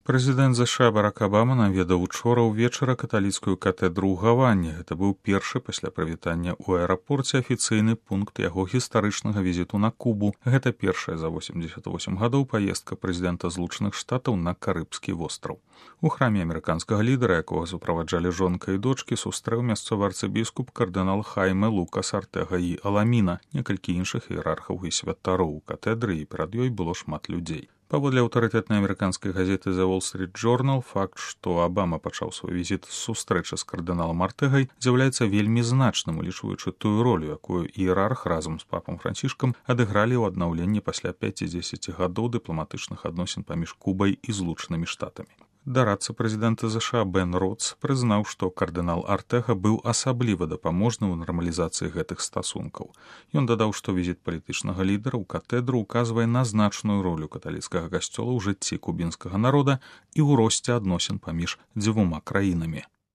Прэзідэнт ЗША Барак Абама наведаў учора ўвечары каталіцкую катэдру ў Гаване. Гэта быў першы пасля прывітання ў аэрапорце афіцыйны пункт яго гістарычнага візіту на Кубу. Гэта першая за 88 гадоў паездка прэзідэнта Злучаных Штатаў на Карыбскі востраў. У храме амерыканскага лідара, якога суправаджалі жонка і дочкі, сустрэў мясцовы арцыбіскуп кардынал Хайме Лукас Артэга і Аламіна, некалькі іншых іерархаў і святароў. У катэдры і перад ёй было шмат людзей. Паводле аўтарытэтнай амерыканскай газеты The Wall Street Journal, факт, што Абама пачаў свой візіт з сустрэчы з кардыналам Артэгай, з'яўляецца вельмі значным, улічваючы тую ролю, якую іерарх разам з папам Францішкам адыгралі ў аднаўленні пасля 5-10 гадоў дыпламатычных адносін паміж Кубай і Злучанымі Штатамі. Дарадца прэзідэнта ЗША Бен Роц прызнаў, што кардынал Артэга быў асабліва дапаможны ў нармалізацыі гэтых стасункаў. Ён дадаў, што візіт палітычнага лідара ў катэдру указвае на значную ролю каталіцкага касцёла ў жыцці кубінскага народа і ў росце адносін паміж дзвюма краінамі.